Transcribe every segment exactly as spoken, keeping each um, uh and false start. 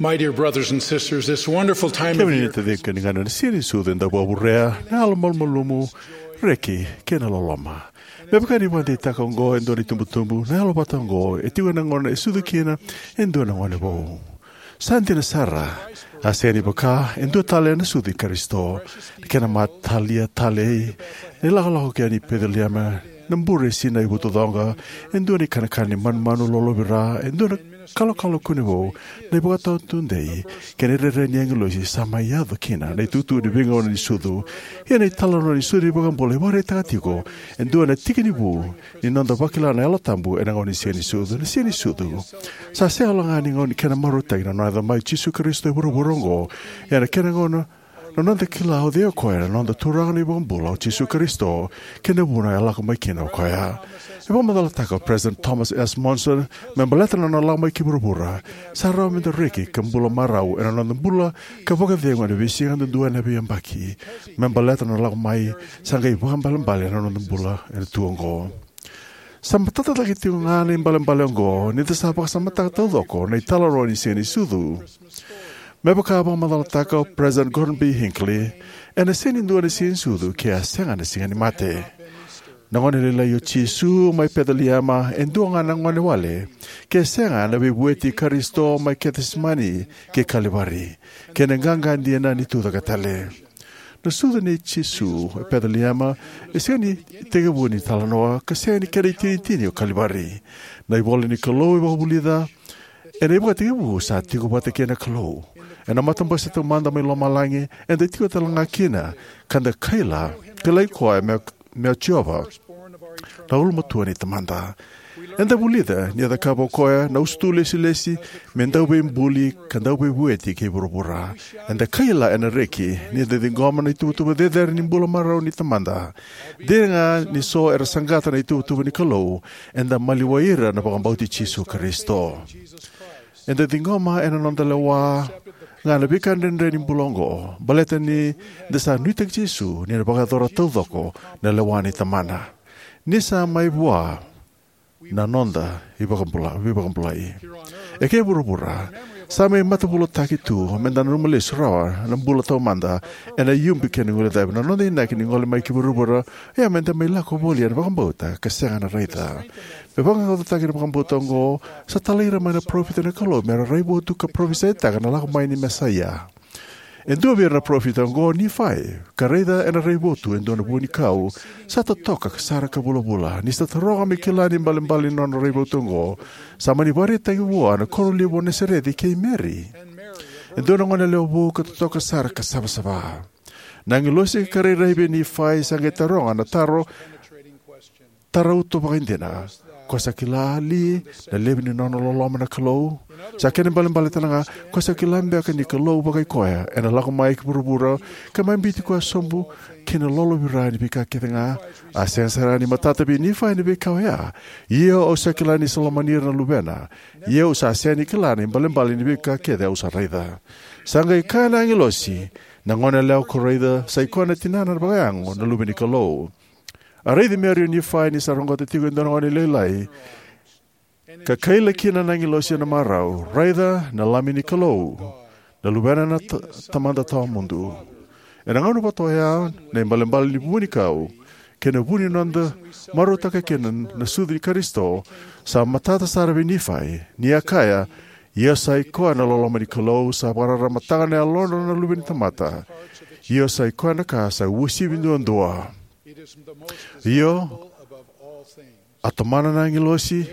My dear brothers and sisters, this wonderful time of Kemuni na year taciqu kei na ganequ, na Siga ni Sucu e dau vakavurea na yalo malumalumu, reki kei na loloma. Me vaka ni vakadeitaka oqo e dua na itubutubu, na yalo vata oqo e tiko ena gauna e sucu kina e dua na gone vou. Sa dina sara, a sega ni vaka e dua tale na sucu i Karisito. Na kena matalia talei, na ilakolako ki yani i Peceliema, na bure e sinai vutucoqa, e dua na ikanakana ni manumanu lolovira, e dua na kalokalo kune vou, na ivakatawa tudei kei na rairai ni agilosi sa mai yaco kina na itukutuku ni veigauna ni sucu. Ia na italanoa ni sucu ni iVakabula e vakaraitaka tiko e dua na tiki ni vu ni noda vakila na Yalo Tabu ena gauna ni Siga ni Sucu. Na Siga ni Sucu sa sega walega ni gauna ni kena marautaki na nona yaco mai o Jisu Karisito e vuravura oqo, ia na kena gauna na noda kila o cei o koya, na noda Turaga na iVakabula o Jisu Karisito, kei na vuna e lako mai kina o koya. E vakamacalataka o President Thomas S. Monson, me baleta na nona lako mai ki vuravura, sa rawa meda reki ka bula marau ena noda bula ka vakacegu ena veisiga duadua ena veiyabaki. Me baleta na nona lako mai, sa qai vakaibalebale na noda bula ena tu oqo. Sa matata cake tiko ga na ibalebale oqo ni da sa vakasamataka taucoko na italanoa ni Siga ni Sucu. Me vaka a vakamacalataka o President Gordon B. Hinckley, ena sega ni dua na Siga ni Sucu ke a sega na Siga ni Mate. Na gone lailai o Jisu mai Peceliema e dua ga na gone wale, ke sega na veivueti i Karisito mai Kecisemani kei Kalivari, kei na qaqa dina ni Tucaketale. Na sucu nei Jisu e Peceliema e sega ni itekivu ni talanoa, ka sega ni kena itinitini o Kalivari. Na ivola ni Kalou e vakavulica, ena ivakatekivu sa tiko vata kei na Kalou. Ena matabose taumada mai lomalagi, eda tiko talega kina, ka da kaila, kilai koya me, me o Jiova, na ulumatua ni Tamada. Eda vulica ni a cakava o koya na usutu lesilesi me dauveibuli ka dauveivueti kei vuravura. Eda kaila ena reki ni da ciqoma na ituvatuva cecere ni bula marau ni Tamada. Dina ga ni so era saqata na ituvatuva ni Kalou, eda maliwai ira na vakabauti Jisu Karisito. Eda ciqoma ena noda lewa ga na veika dredre ni bula oqo, baleta ni da sa nuitaki Jisu ni na vakayacora taucoko na lewa ni Tamana. Ni sa mai vua na noda ivakabula, veivakabulai. Eke e vuravura, sa mai matavulataki tu meda nanuma lesu rawa na bula taumada ena iubi kei na guilecavi. Na noda inaki ni gole mai ki vuravura, ia meda mai lako voli ena vakabauta ka sega na raica. Me vaqaqacotaki na vakabauta oqo, sa talai ira mai na parofita ni Kalou mera raivotu ka parofisaitaka na lako mai ni Mesaia. E dua vei ira na parofita oqo o Nifai, ka raica ena raivotu e dua na vuanikau sa totoka sara ka vulavula. Ni sa taroga me kila na ibalebale ni nona raivotu oqo, sa mani vakaraitaki vua na koro levu o Nasareci kei Meri, e dua na gone yalewa vou ka totoka sara ka savasava. Na agilosi ka rairai vei Nifai sa qai taroga na taro tarauto vakaidina: Ko sa kila li na levu ni nona loloma na Kalou? Sa kena ibalebale talega, ko sa kila beka ni Kalou vakai koya ena lako mai ki vuravura ka mai biuti koya sobu ki na lolovira ni veika kece ga? A sega sara ni matata vei Nifai na veika oya. Io, au sa kila ni sa lomani ira na luvena. Ia au sa sega ni kila na ibalebale ni veika kece au sa raica. Sa qai kaya na agilosi: Na gone yalewa ko raica, sa i koya na tinana vakayago na Luve ni Kalou. A raici Meri o Nifai ni sa roqota tiko e dua na gone lailai, ka kaila kina na agilosi ena marau: Raica na Lami ni Kalou, na Luvena na ta-, Tamada Tawamudu. Ena gauna vata oya, na ibalebale ni vuanikau kei na vu ni noda marautaka kina na sucu i Karisito sa matata sara vei Nifai, ni a kaya: Ia sa i koya na loloma ni Kalou, sa vakararamataka na yalodra na luve ni tamata. Io, sa i koya na ka sa uasivi duadua. Io, a tomana na agilosi: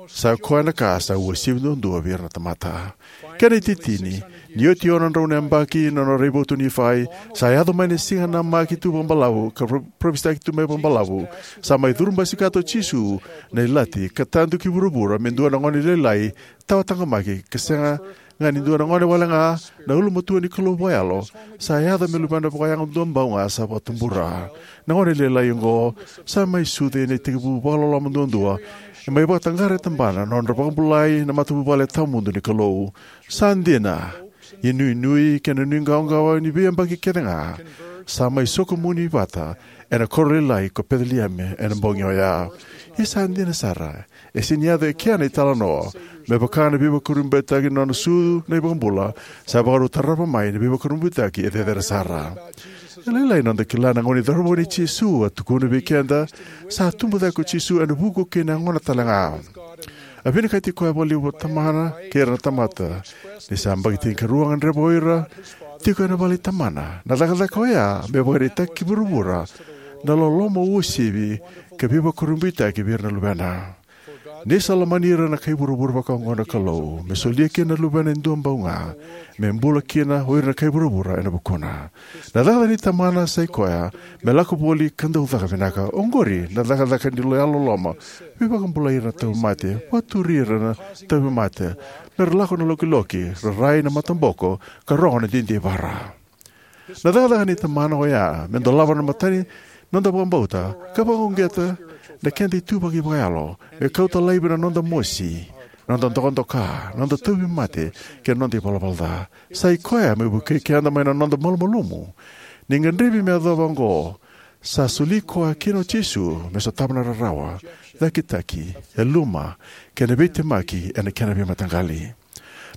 Sa i koya na ka sa uasivi duadua vei ira na tamata. Kena itinitini, ni oti e ono na drau na yabaki na nona raivotu o Nifai, sa yaco mai na siga namaki tu vakabalavu ka pro-, parofisai tu mai vakabalavu. Sa mai curu basikata o Jisu na ilati ka tadu ki vuravura me dua na gone lailai tawa taqomaki, ka sega ga ni dua na gone wale ga, na ulumatua ni Kalou vakayalo sa yaco me luvena vakayago duabau ga sa vakatubura. Na gone lailai oqo sa mai sucu ena itekivu vakaloloma duadua, e mai vakataqara e tabana na nodra vakabulai na matavuvale tawamudu ni Kalou. Sa dina, inuinui kei na nuiqawaqawa ni veiyabaki kece ga sa mai sokomuni vata ena koro lailai ko Peceliema ena bogi oya. Ia sa dina sara, e sega ni yaco e kea na italanoa Me vaka na veivakurabuitaki ni nona sucu na iVakabula, sa vakarau tarava mai na veivakurabuitaki e cecere sara. E lailai noda kila na gauna ni cauravou nei Jisu a tukuna vei keda sa tubu cake ko Jisu ena vuku kei na yagona talega. A vinakati koya vakalevu vua na Tamana kei ira na tamata. Ni sa yabaki tinikarua a gadreva o ira tiko ena vale i Tamana. Na cakacaka oya me vakaraitaki ki vuravura na loloma uasivi ka veivakurabuitaki vei ira na Luvena. Ni sa lomani ira na kai vuravura vakaoqo na Kalou, me solia kina na Luvena e dua bau ga, me bula kina o ira na kai vuravura ena vukuna. Na cakacaka ni Tamana sa i koya me lako voli ka dau caka vinaka. Oqori na cakacaka ni lo- yalololoma. Veivakabulai ira na tauvimate, vakaturi ira na tauvimate, me ra lako na lokiloki, ra rai na mataboko, ka rogo na didivara. Na cakacaka ni Tamana oya me dolava na matani noda vakabauta ka vakauqeta na keda ituvaki vakayalo, me kauta laivi na noda mosi, noda dokadoka, noda tauvimate, kei na noda ivalavala ca. Sa i koya me vukei keda mai na noda malumalumu. Ni gadrevi me yacova oqo, sa soli koya kina o Jisu me sotava na rarawa, cakitaki, yaluma, kei na veitemaki ena kena veimataqali.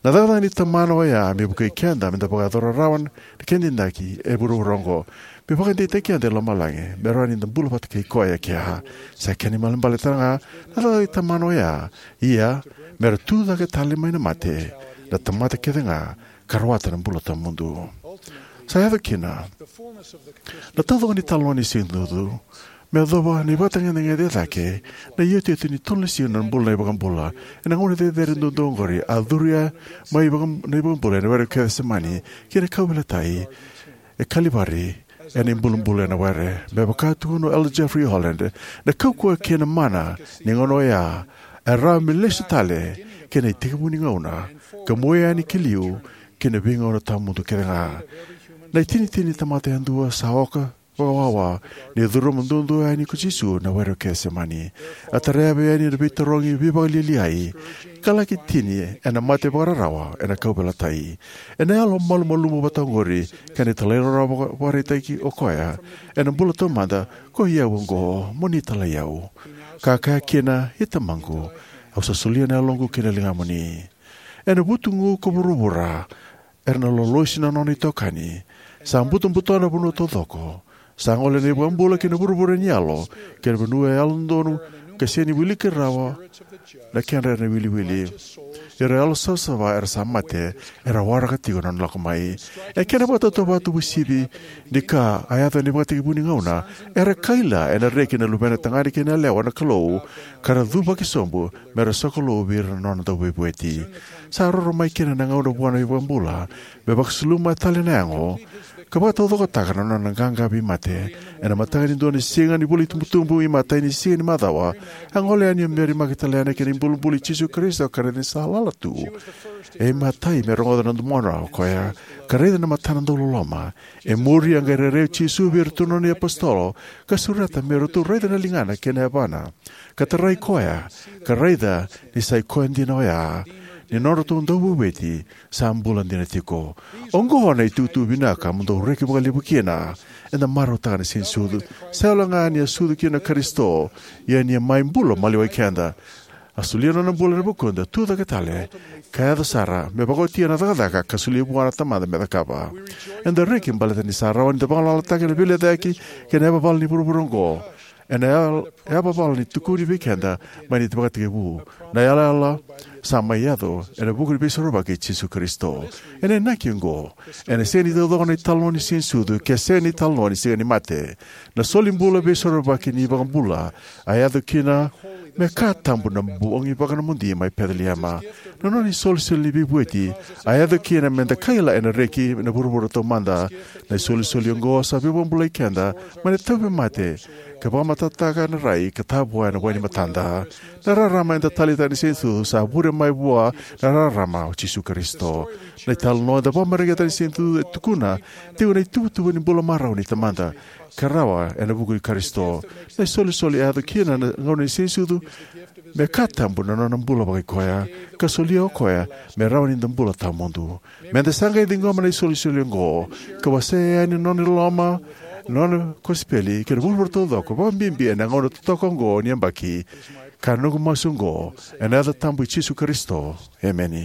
Na cakacaka ni Tamana oya me vukei keda me da vakayacora rawa na keda inaki e vuravura oqo. Me vakadeitaki keda e lomalagi me rawa ni da bula vata kei koya e kea. Sa kena ibalebale talega na cakacaka ni Tamana oya, ia me ra tu cake tale mai na mate na tamata kece ga ka rawata na bula tawamudu. Sa yaco kina na taucoko ni italanoa ni siganisucu me yacova na ivakatagedegede e cake, na iotioti ni tolu na siga na bula na iVakabula. Ena gauna cecere duadua oqori a curu mai vaka- na iVakabula ena were o Kecisemani ki na kauveilatai e Kalivari, ena ibulubulu ena were. Me vaka tukuna o Elder Jeffrey Holland, na kaukauwa kei na mana ni gauna oya e rawa me lesu tale ki na itekivu ni gauna ka mua yani ki liu ki na veigauna tawamudu kece ga. Na itinitini ni tamata yadua sa oka vakawawa ni curuma duadua yani ko Jisu na were o Kecisemani. A tarava yani na veitarogi veivakalialiai ka laki tini ena mate vakararawa ena kauveilatai. Ena yalo malumalumu vata oqori kei na talairawarawa vaka- vakaraitaki o koya ena bula taumada: "Ko i au oqo, mo ni talai au." Ka kaya kina, "I Tamaqu, au sa solia na yaloqu ki na ligamuni." Ena vutugu ko vuravura era na lolosi na nona itokani. Sa butobuto na vanua taucoko. Sa gole na iVakabula ki na vuravura ni yalo, ki na vanua e yalododonu ka sega ni wiliki rawa na kedra na iwiliwili. Ira yalo savasava era sa mate era waraka tiko na nona lako mai. E kena vakatautauvata uasivi ni ka a yaco ena ivakatekivu ni gauna, era kaila ena reki na luvena tagane kei na yalewa na Kalou ka ra cuvaki sobu me ra sokalou vei ira na nona dauveivueti. Sa roro mai kina na gauna vua na iVakabula me vakasuluma tale na yago ka vakataucokotaka na nona qaqa vei mate. Ena mataka ni dua na siga ni vula itubutubu, imatai ni siga ni macawa, a gole yani o Meri Makitalena ki na ibulubulu i Jisu Karisito ka raica ni sa lala tu. E imatai me rogoca na domona o koya ka raica na matana dauloloma. E muri a qai rairai o Jisu vei iratou na nona iapositolo ka sureta me ratou raica na ligana kei na yavana, ka tarai koya, ka raica ni sa i koya dina oya, ni nodratou dauveivueti sa bula dina tiko. Oqo na itukutuku vinaka mo dou reki vakalevu kina. Eda marautaka na siganisucu, sega walega ni a sucu kina o Karisito, ia ni a mai bula maliwai keda. A solia na nona bula ena vukuda, tu cake tale, ka yaco sara me vakaotia na cakacaka ka solia vua na Tamada me cakava. Eda reki baleta ni sa rawa ni da vagalalataka na veilecayaki kei na yavavala ni vuravura oqo. Ena yal- yavavala ni tukuni vei keda mai na ivakatekivu, na yalayala sa mai yaco ena vuku ni Veisorovaki i Jisu Karisito. Ena inaki oqo, ena sega ni taucoko na italanoa ni siganisucu ke sega ni talanoa ni Siga ni Mate. Na solibula veisorovaki ni iVakabula a yaco kina me ka tabu na bogi vakanomodi mai Peceliema. Na nona isolisoli ni veivueti a yaco kina me da kaila ena reki na vuravura taumada. Na isolisoli oqo sa veivakabulai keda mai na tauvimate ka vakamatatataka na rai ka tavoya na wai ni matada. Na rarama eda taleitaka ni siganisucu sa vure mai vua na rarama o Jisu Karisito. Na italanoa eda vakamareqeta ni siganisucu e tukuna tiko na ituvatuva ni bula marau ni Tamada ka rawa ena vuku i Karisito. Na isolisoli a yaco kina na gauna ni siganisucu me ka tabu na nona bula vakaikoya ka solia o koya me rawa ni da bula tawamudu. Me da sa qai ciqoma na isolisoli oqo ka wasea yani na nona loloma, na nona kosipeli ki na vuravura taucoko, vakabibi ena gauna totoka oqo ni yabaki. Ka noqu masu oqo ena yaca tabu i Jisu Karisito, emeni.